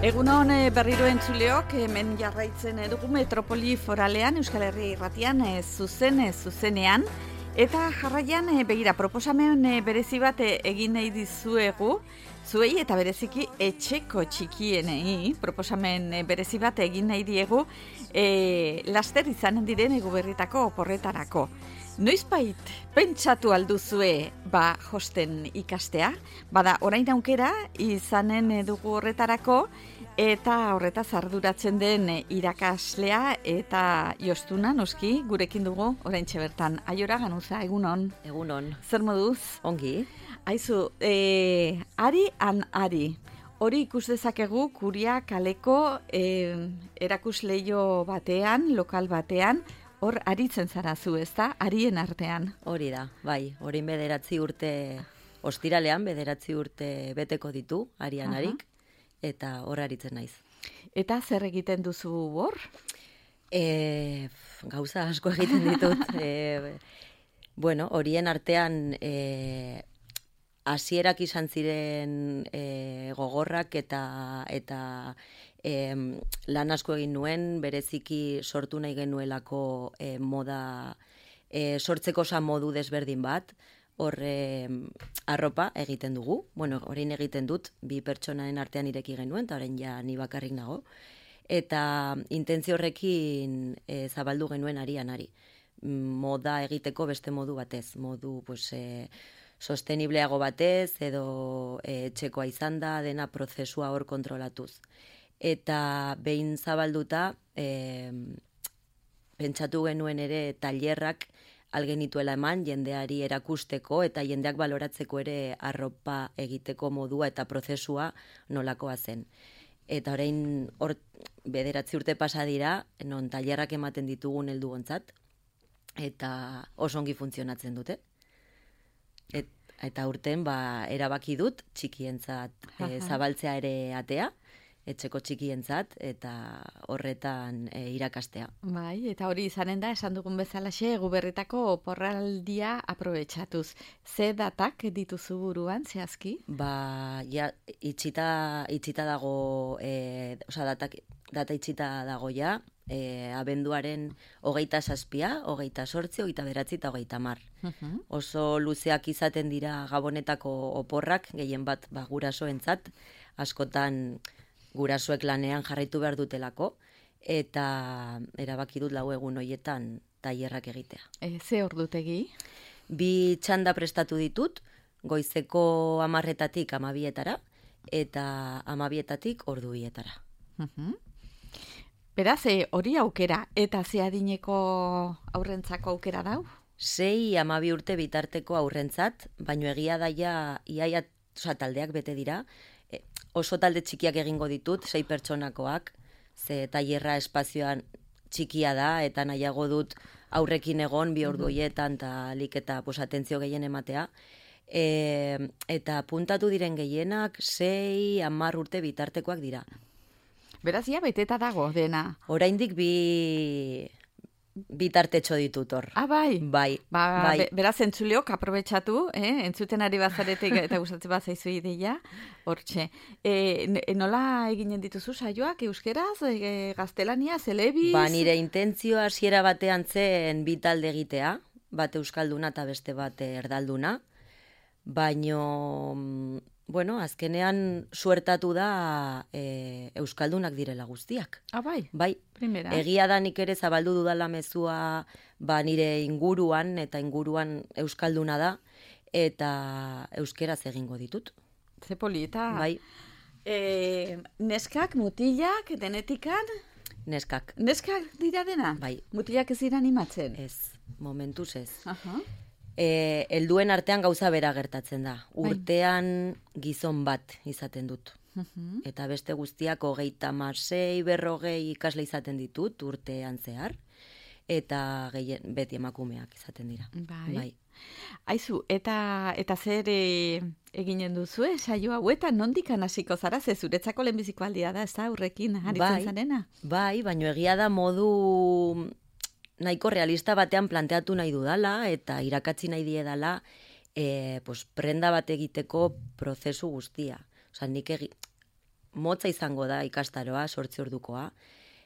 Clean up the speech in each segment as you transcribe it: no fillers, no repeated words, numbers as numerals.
Egunon berriro entzuleok, hemen jarraitzen dugu Metropoli Foralean, Euskal Herria Irratian, zuzenean. Eta jarraian, begira, proposamen berezi bat egin nahi dizuegu, zuei eta bereziki etxeko txikienei, proposamen berezi bat egin nahi diegu, laster izanen diren Eguberritako oporretarako. Noizbait pentsatu alduzue josten ikastea, bada orain aukera izanen dugu horretarako, eta horretaz arduratzen den irakaslea eta Jostuna, noski, gurekin dugu oraintxe bertan. Aiora Ganuza, egunon. Egunon. Zer moduz? Ongi. Aizu, ari. Hori ikus dezakegu Kuria kaleko erakusleio batean, lokal batean, hor aritzen zara zu, ezta? Arien artean. Hori da, bai. Hori 9 urte, ostiralean 9 urte beteko ditu, arian harik, eta hor aritzen naiz. Eta zer egiten duzu hor? Gauza asko egiten ditut. Horien artean hasierak izan ziren gogorrak eta lan asko egin nuen, bereziki sortu nahi genuelako moda, sortzeko modu desberdin bat, hor arropa egiten dugu. Orain egiten dut, 2 pertsonaren artean ireki genuen, eta orain ja ni bakarrik nago. Eta intentzio horrekin zabaldu genuen arian ari. Moda egiteko beste modu batez, modu sostenibleago batez, edo etxekoa izan da, dena prozesua hor kontrolatuz. Eta behin zabalduta, pentsatu genuen ere tailerrak algenituela eman, jendeari erakusteko eta jendeak baloratzeko ere arropa egiteko modua eta prozesua nolakoa zen. Eta orain hor 9 urte pasa dira, non tailerrak ematen ditugun helduontzat, eta oso ongi funtzionatzen dute. Eta urten erabaki dut txikientzat zabaltzea ere atea, etxeko txikientzat, eta horretan irakastea. Bai, eta hori izanen da, esan dugun bezalaxe, Eguberritako oporraldia aprobetxatuz. Ze datak dituzu buruan, zehazki? Itxita dago, data itxita dago ja, abenduaren 27, 28, 29 eta 30. Oso luzeak izaten dira Gabonetako oporrak, gehien bat gurasoentzat, askotan gurasoek lanean jarraitu behar dutelako, eta erabaki dut 4 egun horietan tailerrak egitea. Ze ordutegi? 2 txanda prestatu ditut, goizeko 10-etatik 12-etara, eta 12-etatik 2-etara. Beraz, hori aukera, eta ze adineko aurrentzako aukera dau? 6-12 urte bitarteko aurrentzat, baino egia daia iaia taldeak bete dira, oso talde txikiak egingo ditut, 6 pertsonakoak, ze tailerra espazioan txikia da, eta nahiago dut aurrekin egon 2 ordu horietan, eta lik eta atentzio gehien ematea. Eta puntatu diren gehienak 6-10 urte bitartekoak dira. Beraz, beteta dago dena. Oraindik bitartetxo ditut hor. Bai? Bai. Beraz, entzuleok, aprobetxatu, entzuten ari bazaretek eta gustatzen bazaizu ideia, hortxe. Nola eginen dituzu saioak, euskeraz, gaztelaniaz, elebiz? Nire intentzioa hasiera batean zen 2 talde egitea, bat euskalduna eta beste bat erdalduna, baino, azkenean suertatu da euskaldunak direla guztiak. Bai? Bai. Primera. Egia da nik ere zabaldu dudala mezua nire inguruan, eta inguruan euskalduna da, eta euskeraz egingo ditut. Ze polita. Bai. Neskak, mutilak, denetikan? Neskak. Neskak dira dena? Bai. Mutilak ez dira animatzen? Ez, momentuz ez. Helduen artean gauza bera gertatzen da. Urtean gizon bat izaten dut. Eta beste guztiak 36, 40 ikasle izaten ditut urtean zehar. Eta beti emakumeak izaten dira. Bai. Aizu, eta zer eginen duzu, saio hauetan nondikan hasiko zara, ze zuretzako lehenbiziko aldia da, ez da, aurrekin aritzen zarena? Bai, baino egia da modu nahiko realista batean planteatu nahi dudala, eta irakatzi nahi diedala prenda bat egiteko prozesu guztia. Nik motza izango da ikastaroa, 8 ordukoa,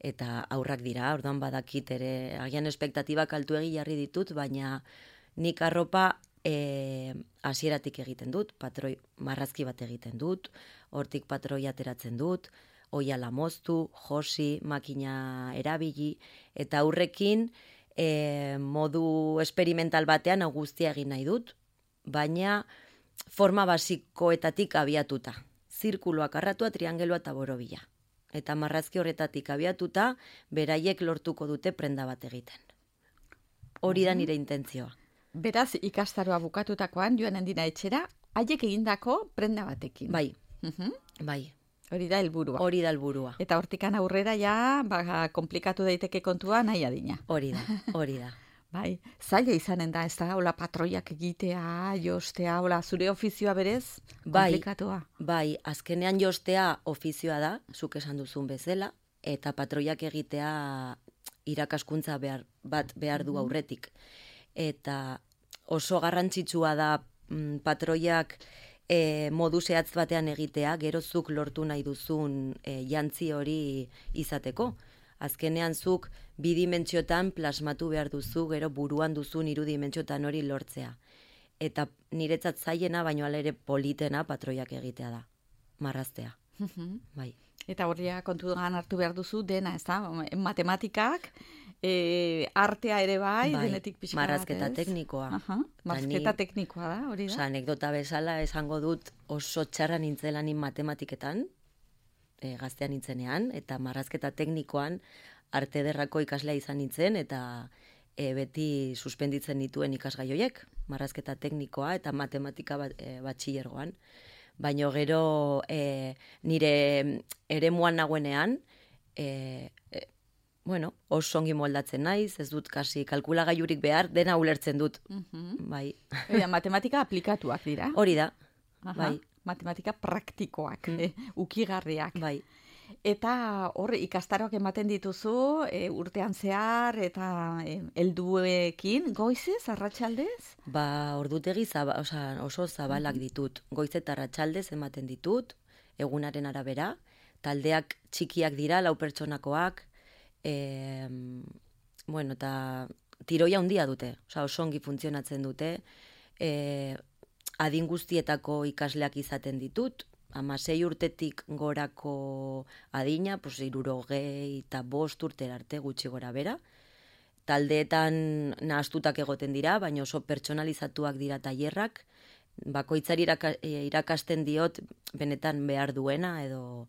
eta aurrak dira, orduan badakit ere, agian espektatibak altuegi jarri ditut, baina nik arropa hasieratik egiten dut, patroi marrazki bat egiten dut, hortik patroi ateratzen dut, oiala moztu, josi, makina erabili, eta aurrekin modu experimental batean hau guztia egin nahi dut, baina forma basikoetatik abiatuta. Zirkuloak arratua, triangelua eta borobila. Eta marrazki horretatik abiatuta, beraiek lortuko dute prenda bat egiten. Hori da nire intentzioa. Beraz, ikastaroa bukatutakoan, joanen dira etxera, haiek egindako prenda batekin. Bai, bai. Hori da helburua. Hori da helburua. Eta hortikan aurrera ja, komplikatu daiteke kontua nahi adina. Hori da. Bai, zaila izanen da, ez da, hola patroiak egitea, jostea, hola zure ofizioa berez, komplikatua. Bai, azkenean jostea ofizioa da, zuk esan duzun bezala, eta patroiak egitea irakaskuntza bat behar du aurretik. Eta oso garrantzitsua da patroiak modu zehatz batean egitea, gero zuk lortu nahi duzun jantzi hori izateko. Azkenean zuk bidimentsiotan plasmatu behar duzu, gero buruan duzun 3 dimentsiotan hori lortzea. Eta niretzat zailena, baino ala ere politena patroiak egitea da, marraztea. Bai. Eta horria kontuan hartu behar duzu dena, ez da? Matematikak, artea ere bai, denetik pixka bat, marrazketa teknikoa. Marrazketa teknikoa da, hori da? Anekdota bezala esango dut oso txarra nintzela nin matematiketan, gaztean nintzenean, eta marrazketa teknikoan arte ederrako ikaslea izan nintzen, eta beti suspenditzen dituen ikasgai horiek, marrazketa teknikoa eta matematika batxilergoan. Baina gero nire eremuan nagoenean, oso ongi moldatzen naiz, ez dut kasi kalkulagailurik behar, dena ulertzen dut. Bai. Matematika aplikatuak dira. Hori da, bai. Matematika praktikoak, ukigarriak. Bai. Eta hor ikastaroak ematen dituzu urtean zehar eta helduekin, goizez, arratsaldez? Ordutegi oso zabalak ditut. Goiz eta arratsaldez ematen ditut, egunaren arabera. Taldeak txikiak dira, 4 pertsonakoak. Eta tiroia handia dute, oso ongi funtzionatzen dute. Adin guztietako ikasleak izaten ditut, 16 urtetik gorako adina, 65 urtera arte gutxi gora bera. Taldeetan nahastutak egoten dira, baina oso pertsonalizatuak dira tailerrak, bakoitzari irakasten diot benetan behar duena edo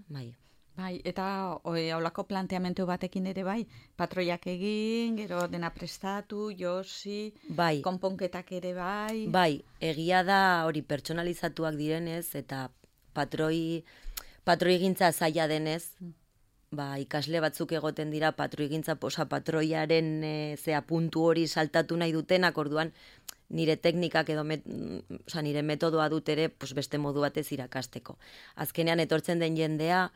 bai. Bai, eta haulako planteamendu batekin ere bai, patroiak egin, gero dena prestatu, josi, bai. Konponketak ere bai. Bai, egia da hori pertsonalizatuak direnez, eta patroi gintza zaila denez, ikasle batzuk egoten dira patroiaren puntu hori saltatu nahi dutenak, orduan nire teknikak edo nire metodoa dut ere beste modu batez irakasteko. Azkenean etortzen den jendea,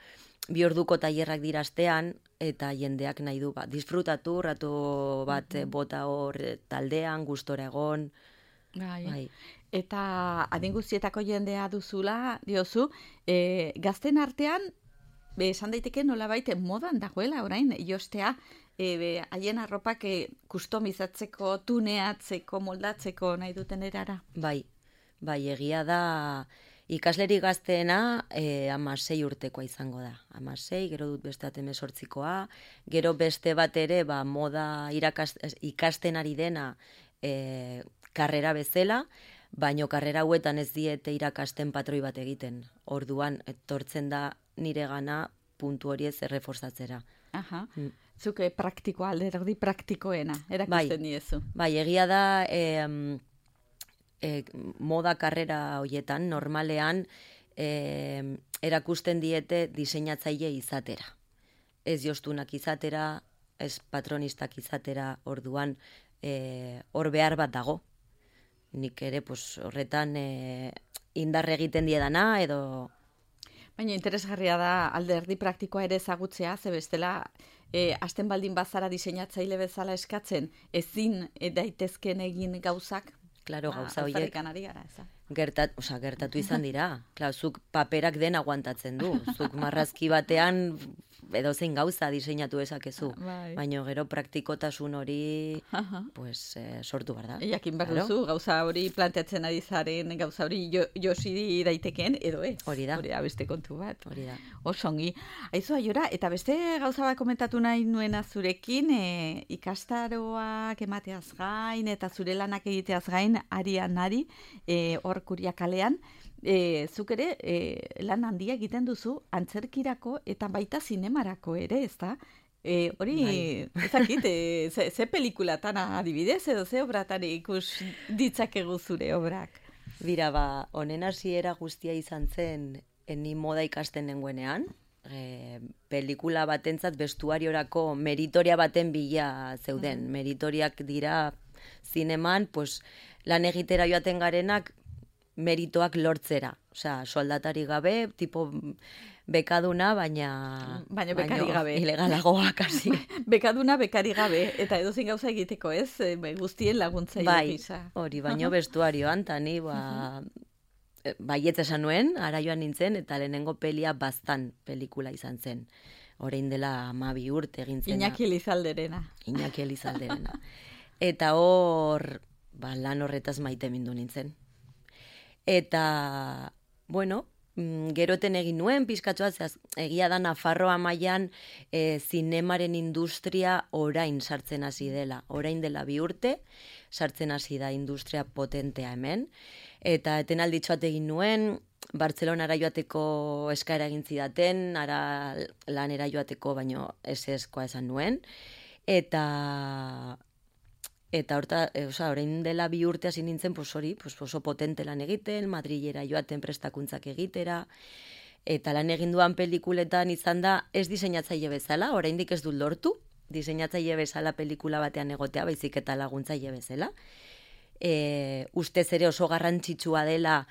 2 orduko tailerrak dira astean, eta jendeak nahi du disfrutatu, ratu bat bota hor taldean, gustora egon. Bai. Eta adin guztietako jendea duzula, diozu, gazten artean, esan daiteke nolabait modan dagoela orain, jostea, haien arropak kustomizatzeko, tuneatzeko, moldatzeko nahi duten erara. Bai, egia da, ikasleri gazteena 16 urtekoa izango da. 16, gero dut beste 18koa, gero beste bat ere moda ikasten ari dena karrera bezala, baino karrera hauetan ez diete irakasten patroi bat egiten. Orduan, etortzen da nire gana puntu hori ez erreforzatzera. Zuk praktikoa, alderdi praktikoena, erakusten diezu. Bai, egia da moda karrera horietan, normalean erakusten diete diseinatzaile izatera. Ez jostunak izatera, ez patronistak izatera, orduan hor behar bat dago. Nik ere horretan indarre egiten diedana edo... Baina interesgarria da alderdi praktikoa ere ezagutzea, ze bestela hasten baldin bazara diseinatzaile bezala eskatzen, ezin daitezken egin gauzak. Claro, gauza horiek. Gertatu izan dira. Klar, zuk paperak den aguantatzen du. Zuk marrazki batean edozein gauza diseinatu dezakezu. Baina gero praktikotasun hori pues, sortu behar da. Jakin behar duzu, gauza hori planteatzen ari zaren, gauza hori josi daitekeen, edo ez. Hori da. Hori da, beste kontu bat. Hori da. Osongi. Aizu, Aiora, eta beste gauza bat komentatu nahi nuena zurekin, ikastaroak emateaz gain, eta zure lanak egiteaz gain, ari, hor Kuriakalean, zuk ere lan handia egiten duzu antzerkirako eta baita zinemarako ere, ezta? Hori, ezakit, ze pelikulatan adibidez edo ze obratan ikus ditzakegu zure obrak? Bira, honen hasiera guztia izan zen, ni moda ikasten nengoenean, pelikula batentzat bestuariorako meritoria baten bila zeuden. Meritoriak dira zineman, pues, lan egitera joaten garenak meritoak lortzera. Osea, soldatari gabe, tipo bekaduna, baina bekari gabe. Ilegalagoa, kasi. Bekaduna, bekari gabe. Eta edozein gauza egiteko, ez? Guztien laguntzaile gisa. Hori, baino bestuarioan, eta ni, baietz esan nuen, ara joan nintzen, eta lehenengo pelia Baztan pelikula izan zen. Orain dela 12 urte egin zena. Iñaki Elizalderena. Eta hor, lan horretaz maite mindu nintzen. Eta, bueno, geroten egin nuen, pizkatxoa, egia da Nafarroa mailan zinemaren industria orain sartzen hasi dela. Orain dela 2 urte, sartzen hasi da industria potentea hemen. Eta etenalditxoat egin nuen, Bartzelonara joateko eskaera egin zidaten, ara lanera joateko baino eseskoa esan nuen. Eta orain dela 2 urte hasi nintzen, oso potente lan egiten, Madrilera joaten prestakuntzak egitera, eta lan egin duan pelikuletan izan da, ez diseinatzaile bezala, oraindik ez dut lortu, diseinatzaile bezala pelikula batean egotea, baizik eta laguntzaile bezala. Ustez ere oso garrantzitsua dela,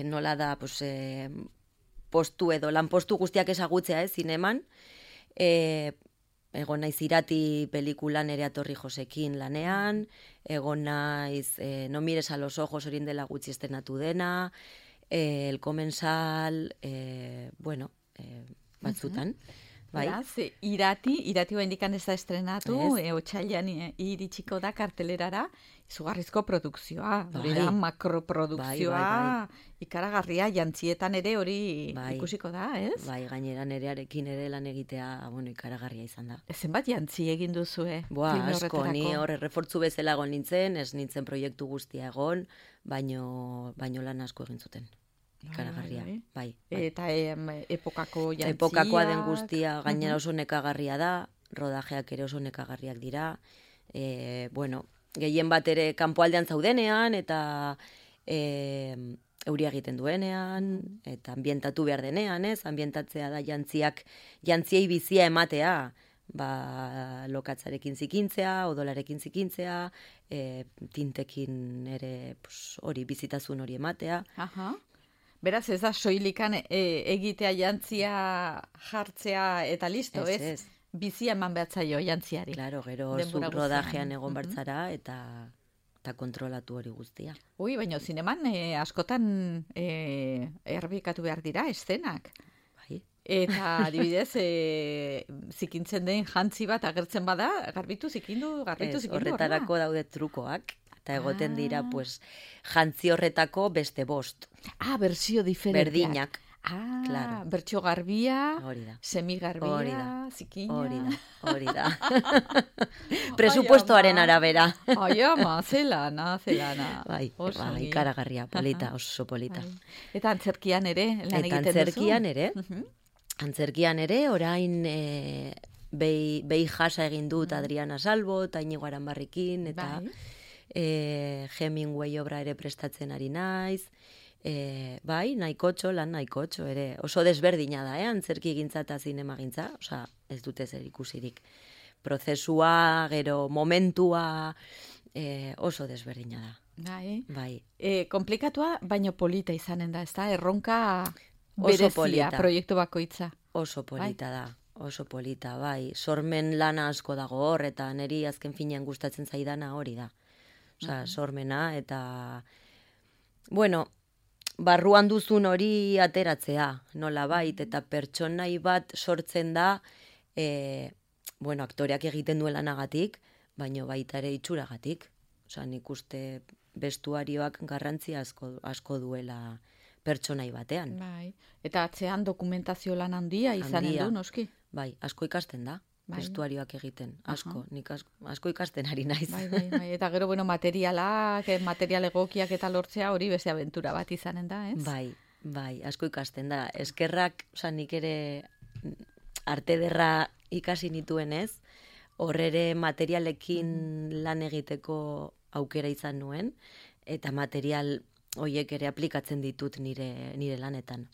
nola da, postu edo lanpostu guztiak ezagutzea, zineman, egon naiz Irati pelikulan Nerea Torrijosekin lanean, egon naiz No mires a los ojos horien dela gutxi estenatu dena, El Comensal, batzutan. Beraz, Irati indikan ez da estrenatu, otsailean iritsiko da kartelerara, izugarrizko produkzioa, hori da, makroprodukzioa, ikaragarria, jantzietan ere hori ikusiko da, ez? Bai, gainera nerearekin ere lan egitea, ikaragarria izan da. Zenbat jantzi egin duzue? Asko, ni hor errefortzu bezala egon nintzen, ez nintzen proiektu guztia egon, baino lan asko egin zuten. Ikaragarria, bai. Eta epokako jantzia. Epokakoa den guztia gainera oso nekagarria da, rodajeak ere oso nekagarriak dira. Gehien bat ere kanpoaldean zaudenean, eta euria egiten duenean, eta ambientatu behar denean, ambientatzea da jantziei bizia ematea, lokatzarekin zikintzea, odolarekin zikintzea, tintekin ere hori bizitasun hori ematea. Beraz, ez da soilikan egitea jantzia jartzea eta listo, ez? Bizia eman behatzaio jantziari. Claro, gero zuk rodajean egon bartzara eta kontrolatu hori guztia. Baina zineman askotan erbikatu behar dira eszenak. Bai. Eta adibidez, zikintzen den jantzi bat agertzen bada, garbitu zikindu. Horretarako daude trukoak. Eta egoten dira, jantzi horretako beste 5. Bersio diferenteak. Berdinak. Claro. Bertso garbia, semigarbia, zikina. Hori da. Presupuestoaren arabera. Zelana. Bai, ikaragarria, polita, oso polita. Eta antzerkian ere, lan egiten duzu? Antzerkian ere, orain behi jasa egin dut Adriana Salvo, eta Inigo Aranbarrikin, eta Hemingway obra ere prestatzen ari naiz. Lan nahikotxo ere. Oso desberdina da, antzerki gintza eta zinema gintza. Osa, ez dute zer ikusirik. Prozesua, gero momentua, oso desberdina da. Bai. Komplikatua, baino polita izanen da, ez da? Erronka berezia, proiektu bakoitza. Oso polita da. Oso polita, bai. Sormen lana asko dago hor, eta niri azken finean gustatzen zaidana hori da. Osea, sormena, eta, bueno, barruan duzun hori ateratzea, nolabait, eta pertsonai bat sortzen da, bueno, aktoreak egiten duen lanagatik, baino baita ere itxuragatik. Osea, nik uste bestuarioak garrantzi asko duela pertsonai batean. Bai. Eta atzean dokumentazio lan handia izanen du, noski? Bai, asko ikasten da. Bai. Bestuarioak egiten, asko, nik asko ikasten ari naiz. Bai. Eta gero, bueno, material egokiak eta lortzea hori beste abentura bat izanen da, ez? Bai, asko ikasten da. Eskerrak, nik ere arte derra ikasi nituen ez, horrere materialekin lan egiteko aukera izan nuen, eta material horiek ere aplikatzen ditut nire lanetan.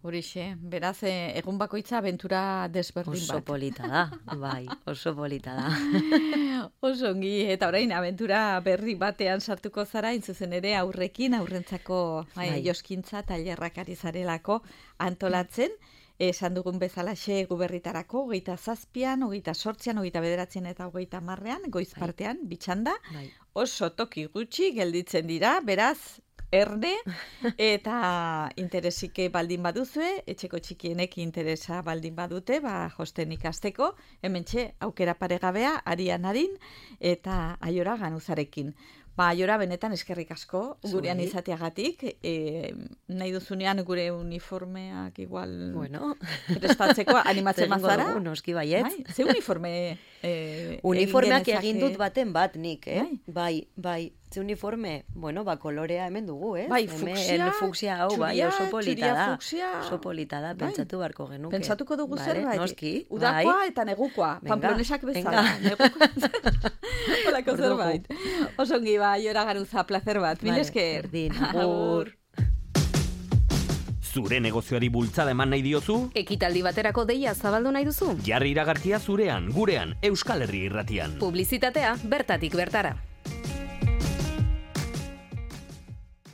Horixe, beraz, egun bakoitza abentura desberdin bat. Oso polita da, bai, oso polita da. Oso ongi, eta orain abentura berri batean sartuko zara, intzuzen ere aurrentzako joskintza tailerrak ari zarelako antolatzen, esan dugun bezalaxe guberritarako, 27an, 28an, 29an eta 30an, goiz partean, bitxanda, oso toki gutxi gelditzen dira, beraz, erne, eta interesike baldin baduzue, etxeko txikienek interesa baldin badute, josten ikasteko, hementxe aukera paregabea, arian harin, eta Aiora Ganuzarekin. Aiora, benetan eskerrik asko, gurean izateagatik, nahi duzunean gure uniformeak igual prestatzeko, animatzen mazara. Noski baiet. Ze uniforme uniformeak egin dut baten bat nik, Bai. Ze uniforme, kolorea hemen dugu, Bai, fuksia hau, oso polita da. Oso polita da, pentsatu barko genuke. Pentsatuko dugu zerbait. Noski. Udakoa eta negukoa, pamplonesak bezala. Olako zerbait. Osongi, Aiora Ganuza, placer bat. Mil esker. Agur. Zure negozioari bultzada eman nahi diozu? Ekitaldi baterako deia zabaldu nahi duzu? Jarri iragarkia zurean, gurean, Euskal Herri Irratian. Publizitatea bertatik bertara.